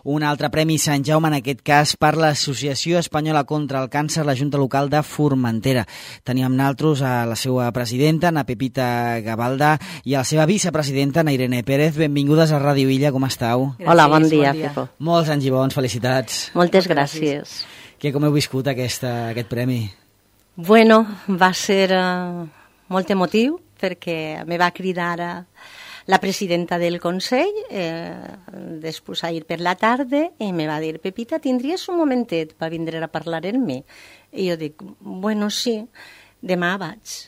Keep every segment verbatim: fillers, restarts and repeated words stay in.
Un altre Premi Sant Jaume, en aquest cas, per l'Associació Espanyola contra el Càncer, la Junta Local de Formentera. Teníem naltros a la seva presidenta, na Pepita Gabalda, i a la seva vicepresidenta, na Irene Pérez. Benvingudes a Ràdio Illa, com estàu? Gràcies, Hola, bon dia, bon dia. Pepo. Molts anys i bons, felicitats. Moltes gràcies. Que com heu viscut aquesta, aquest premi? Bueno, va ser uh, molt emotiu, perquè me va cridar a la presidenta del Consell, eh, després ahir per la tarda, i me va dir, Pepita, tindries un momentet per vindre a parlar amb mi? I jo dic, bueno, sí, demà vaig.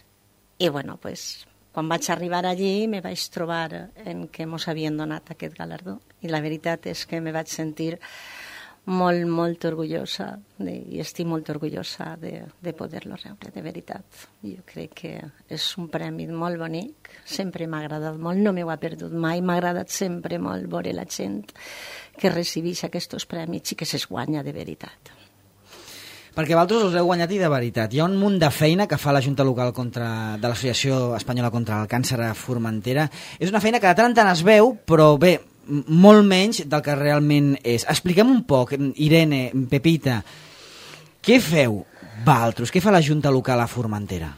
I bueno, pues, quan vaig arribar allí me vaig trobar en què mos havien donat aquest galardó. I la veritat és que me vaig sentir molt, molt orgullosa, de, i estic molt orgullosa de, de poder-lo rebre, de veritat. Jo crec que és un premi molt bonic, sempre m'ha agradat molt, no m'ho ha perdut mai, m'ha agradat sempre molt veure la gent que recibeix aquests premis i que se'ls guanya de veritat. Perquè vosaltres us heu guanyat i de veritat. Hi ha un munt de feina que fa la Junta Local contra, de l'Associació Espanyola contra el Càncer a Formentera. És una feina que de tant en tant es veu, però bé, molt menys del que realment és. Expliquem un poc, Irene, Pepita, què feu vosaltres? Què fa la Junta Local a Formentera?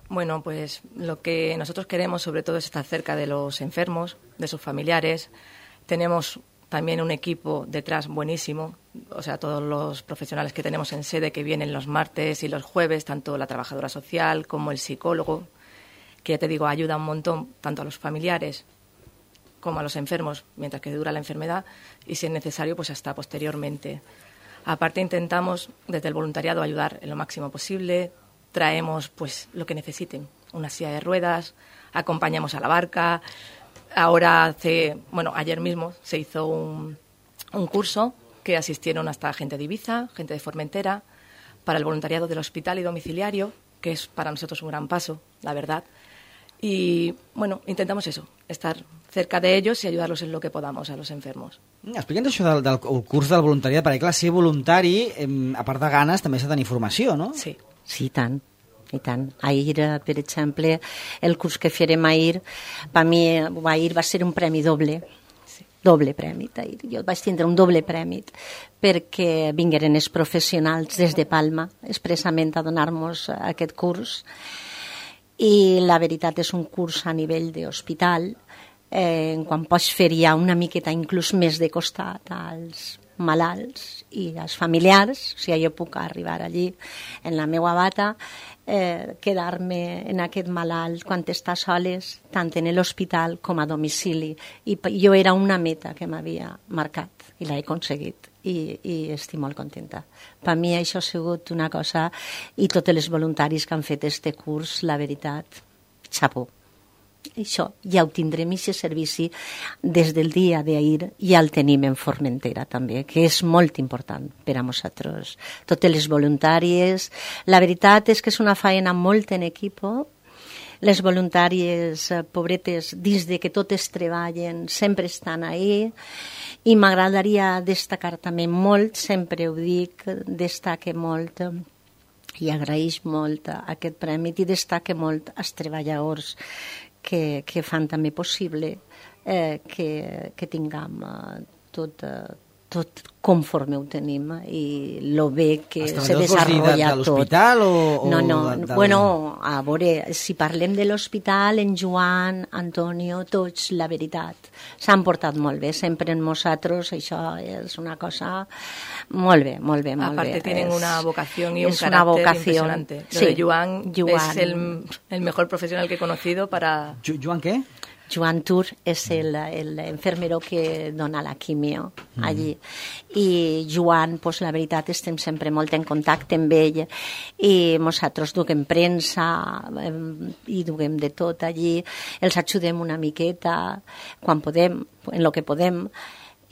Bueno, pues lo que nosotros queremos sobre todo es estar cerca de los enfermos, de sus familiares. Tenemos también un equipo detrás buenísimo, o sea, todos los profesionales que tenemos en sede que vienen los martes y los jueves, tanto la trabajadora social como el psicólogo, que ya te digo, ayuda un montón tanto a los familiares como a los enfermos mientras que dura la enfermedad y si es necesario pues hasta posteriormente. Aparte intentamos desde el voluntariado ayudar en lo máximo posible, traemos pues lo que necesiten, una silla de ruedas, acompañamos a la barca. Ahora hace, bueno, ayer mismo se hizo un, un curso que asistieron hasta gente de Ibiza, gente de Formentera, para el voluntariado del hospital y domiciliario, que es para nosotros un gran paso, la verdad. Y, bueno, intentamos eso, estar cerca de ellos y ayudarlos en lo que podamos a los enfermos. Explica'ns això del, del curs del voluntariat, perquè clar, ser voluntari, eh, a part de ganes, també s'ha de tenir formació, no? Sí. Sí, tant. I tant. Ahir, per exemple, el curs que farem ahir, per mi ahir va ser un premi doble, sí. doble premi. Ahir. Jo vaig tindre un doble premi perquè vingueren els professionals des de Palma expressament a donar-nos aquest curs. I la veritat és un curs a nivell d'hospital, eh, quan pots fer ja una miqueta inclús més de costat als malalts i als familiars, o sigui, jo puc arribar allí en la meva bata, eh, quedar-me en aquest malalt quan està soles, tant en l'hospital com a domicili. I jo era una meta que m'havia marcat i l'he aconseguit. I, i estic molt contenta. Per mi això ha sigut una cosa, i tots els voluntaris que han fet este curs, la veritat, xapó. Això ja ho tindrem, aquest servici, des del dia d'ahir ja el tenim en Formentera també, que és molt important per a nosaltres. Totes les voluntàries, la veritat és que és una feina molt en equipo. Les voluntàries, pobretes, dins de que totes treballen, sempre estan ahí. I m'agradaria destacar també molt, sempre ho dic, destaque molt i agraeix molt aquest premi i destaque molt als treballadors que, que fan també possible eh, que, que tinguem eh, tot, eh, tot conforme ho tenim i lo bé que se desenvolupa tot. De l'hospital o, o no, no, de, de... bueno, a veure, si parlem de l'hospital, en Joan, Antonio, tots, la veritat, s'han portat molt bé, sempre en nosaltres, això és una cosa molt bé, molt bé, molt Aparte bé. tienen es, una vocación y un carácter vocación. Impresionante. Lo sí, de Joan, Joan es el, el mejor profesional que he conocido para... Joan què? Joan Tur és el, el enfermero que dona la quimio allí. Mm. I Joan, pues, la veritat, estem sempre molt en contacte amb ell i nosaltres duguem premsa i duguem de tot allí. Els ajudem una miqueta quan podem, en el que podem.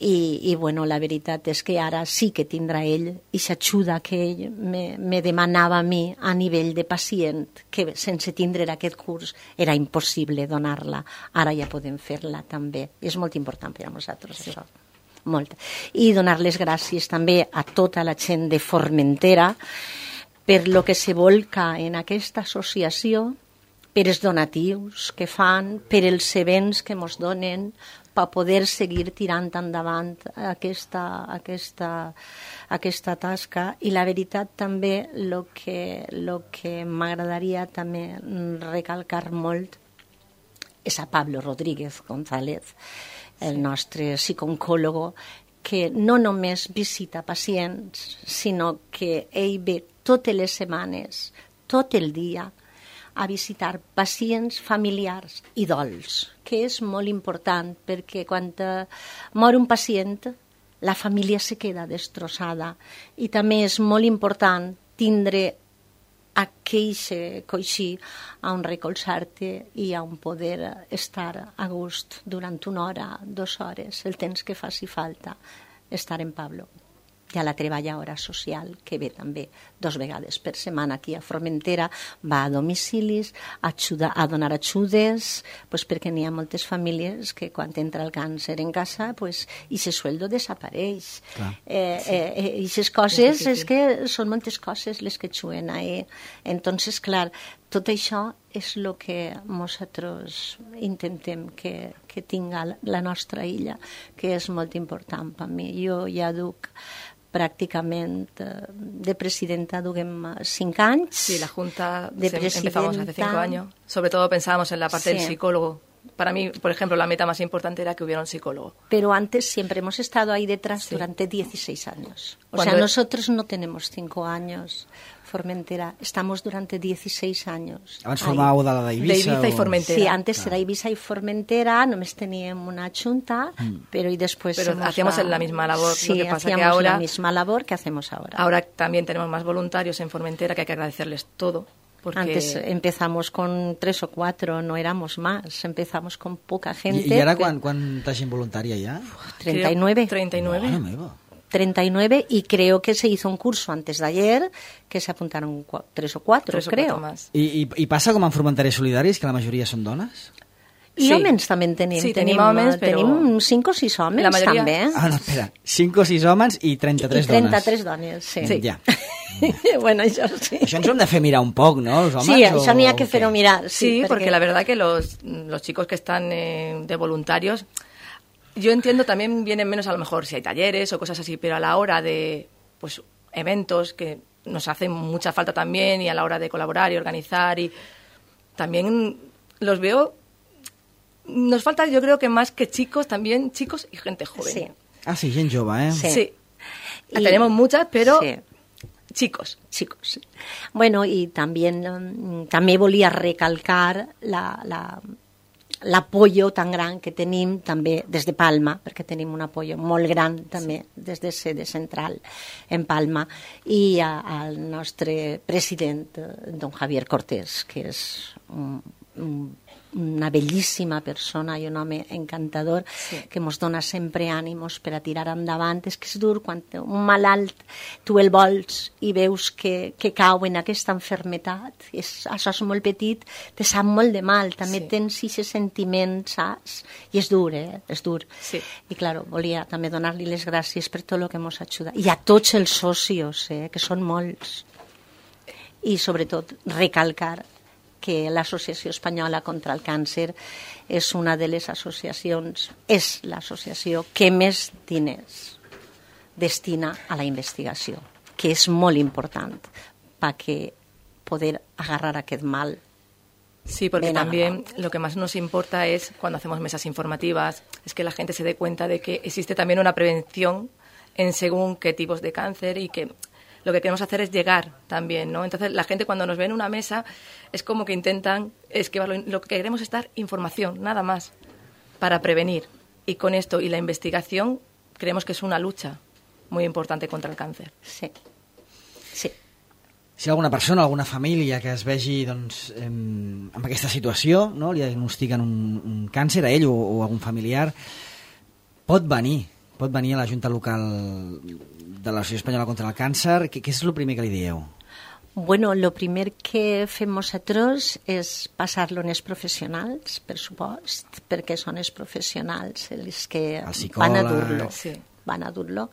I, i bueno, la veritat és que ara sí que tindrà ell i s'ajuda que ell me, me demanava a mi a nivell de pacient, que sense tindre aquest curs era impossible donar-la. Ara ja podem fer-la també. És molt important per a nosaltres, sí. Això. Molt. I donar les gràcies també a tota la gent de Formentera per lo que se volca en aquesta associació, per els donatius que fan, per els events que ens donen, per poder seguir tirant endavant aquesta, aquesta, aquesta tasca. I la veritat també el que, lo que m'agradaria també recalcar molt és a Pablo Rodríguez González, el nostre psicooncòlogo, que no només visita pacients, sinó que ell ve totes les setmanes, tot el dia, a visitar pacients familiars i dolç, que és molt important perquè quan mor un pacient la família se queda destrossada i també és molt important tindre aquell coixí on recolzar-te i on poder estar a gust durant una hora, dues hores, el temps que faci falta estar en Pablo. Hi ha la treballadora social, que ve també dos vegades per setmana aquí a Formentera, va a domicilis, ajuda, a donar ajudes, pues perquè n'hi ha moltes famílies que quan entra el càncer en casa, pues, i ese sueldo desapareix. Eh, sí. eh, eh, I aquestes coses, és que són moltes coses les que juguen ahí. Entonces, clar, tot això és el que nosaltres intentem que, que tinga la nostra illa, que és molt important per mi. Jo ja duc pràcticament de presidenta duguem cinc anys. Sí, la Junta de empezamos hace cinco años. Sobre todo pensábamos en la parte sí. del psicólogo. Para mí, por ejemplo, la meta más importante era que hubiera un psicólogo. Pero antes siempre hemos estado ahí detrás sí. durante dieciséis años. O Cuando sea, nosotros no tenemos cinco años, Formentera, estamos durante dieciséis años. Abans formàveu de la d'Eivissa? D'Eivissa o... i Formentera. Sí, antes claro. era Eivissa y Formentera, només teníem una junta, mm. pero y después... Pero hacíamos la... la misma labor, sí, lo que pasa hacíamos que ahora... la misma labor que hacemos ahora. Ahora también tenemos más voluntarios en Formentera, que hay que agradecerles todo. Porque... Antes empezamos con tres o cuatro, no éramos más, empezamos con poca gente. I, i ara quan, quanta gent voluntària hi ha? treinta y nueve. treinta y nueve. Bueno, meva. treinta y nueve y creo que se hizo un curso antes de ayer que se apuntaron tres o cuatro, tres o creo. Cuatro más. I, i, I passa com en Formenters Solidaris, que la majoria són dones? I sí. homes també en tenim. Sí, tenim, tenim homes, però... Tenim cinc o sis homes, la majoria... també. Ah, no, espera. cinc o sis homes i trenta-tres dones. I trenta-tres dones, sí. sí. Ja. Bueno, això sí. Això ens ho hem de fer mirar un poc, ¿no? Los homes, sí, això o... n'hi ha que fer-ho mirar. Sí, sí perquè... porque la verdad que los, los chicos que están eh, de voluntarios, yo entiendo también vienen menos a lo mejor si hay talleres o cosas así, pero a la hora de pues eventos que nos hacen mucha falta también y a la hora de colaborar y organizar y también los veo, nos falta yo creo que más que chicos, también chicos y gente joven. Sí. Ah, sí, gent jove, eh? Sí. sí. Y... Tenemos muchas, pero... Sí. Chicos. Chicos. Bueno, y también, també volia recalcar la, la, l'apoyo tan gran que tenim també des de Palma, perquè tenim un apoyo molt gran també sí. des de sede central en Palma, i a, al nostre president, don Javier Cortés, que és un, un una bellíssima persona i un home encantador sí. que ens dona sempre ànimos per a tirar endavant. És que és dur quan un malalt tu el vols i veus que, que cau en aquesta enfermetat, és, això és molt petit, te sap molt de mal, també sí. tens aquest sentiment, saps? I és dur, eh? És dur. Sí. I, clar, volia també donar-li les gràcies per tot el que ens ajuda. I a tots els socios, eh? que són molts. I, sobretot, recalcar que l'Associació Espanyola contra el Càncer és una de les associacions, és l'associació que més diners destina a la investigació, que és molt important perquè poder agarrar aquest mal. Sí, porque también lo que más nos importa es, cuando hacemos mesas informativas, es que la gente se dé cuenta de que existe también una prevención en según qué tipos de cáncer y que lo que queremos hacer es llegar también, ¿no? Entonces, la gente cuando nos ve en una mesa es como que intentan esquivarlo. Lo que queremos es dar información, nada más, para prevenir. Y con esto y la investigación creemos que es una lucha muy importante contra el càncer. Sí. Sí. Si alguna persona, alguna família que es vegi doncs, eh, amb aquesta situació, no? Li diagnostiquen un, un càncer a ell o, o a algun familiar, pot venir, pot venir a la Junta Local de l'Associació Espanyola contra el Càncer. Què, què és el primer que li dieu? Bueno, lo primer que fem nosaltres és passar-lo als professionals, per supost, perquè són els professionals els que el van a dur-lo. Sí. van a dur-lo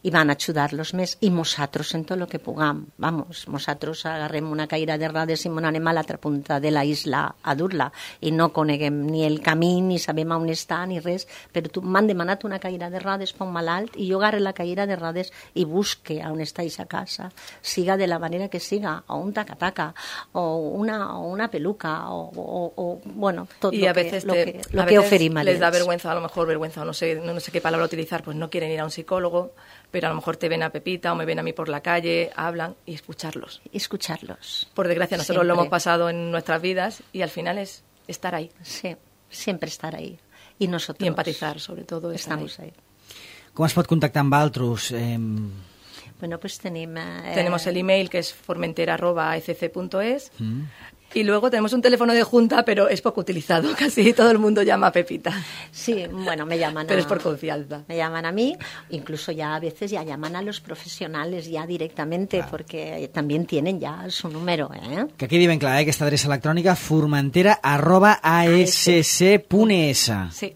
i van a ajudar-los més, i nosaltres en tot el que puguem. Vamos, nosaltres agarrem una caïra de rodes i anem a l'altra punta de la isla a dur-la i no coneguem ni el camí, ni sabem on està, ni res, però tu m'han demanat una caïra de rodes per un malalt i jo agarre la caïra de rodes i busque on està aquesta casa, siga de la manera que siga, o un taca-taca, o una, o una peluca, o, o, o bueno, tot y lo a veces que, lo te, que, lo a que veces oferim a les da ells. vergüenza, a lo mejor vergüenza, o no sé, no, no sé qué palabra utilizar, pues no quieren ir a un psicólogo, pero a lo mejor te ven a Pepita o me ven a mí por la calle, hablan, y escucharlos. Escucharlos. Por desgracia, nosotros Siempre. lo hemos pasado en nuestras vidas y al final es estar ahí. Sí, siempre estar ahí. Y nosotros Y empatizar, sobre todo. Estar estamos ahí. ahí. Com es pot contactar amb altres? Eh... Bueno, pues tenim... Eh, Tenemos el email que es formentera arroba e c c punto es Mm. y luego tenemos un teléfono de junta, pero es poco utilizado. Casi todo el mundo llama a Pepita. Sí, bueno, me llaman Pero a, es por confianza. Me llaman a mí, incluso ya a veces ya llaman a los profesionales ya directamente, Claro. porque también tienen ya su número, ¿eh? Que quedi ben clar, eh, aquesta adreça electrònica formentera arroba a s c punt e s. Sí.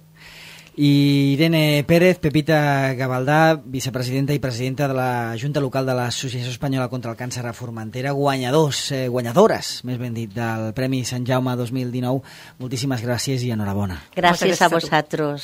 I Irene Pérez, Pepita Gavaldà, vicepresidenta i presidenta de la Junta Local de l'Associació Espanyola contra el Càncer a Formentera, guanyadors, eh, guanyadores, més ben dit, del Premi Sant Jaume dos mil dinou. Moltíssimes gràcies i enhorabona. Gràcies gràcies a a tu. vosaltres.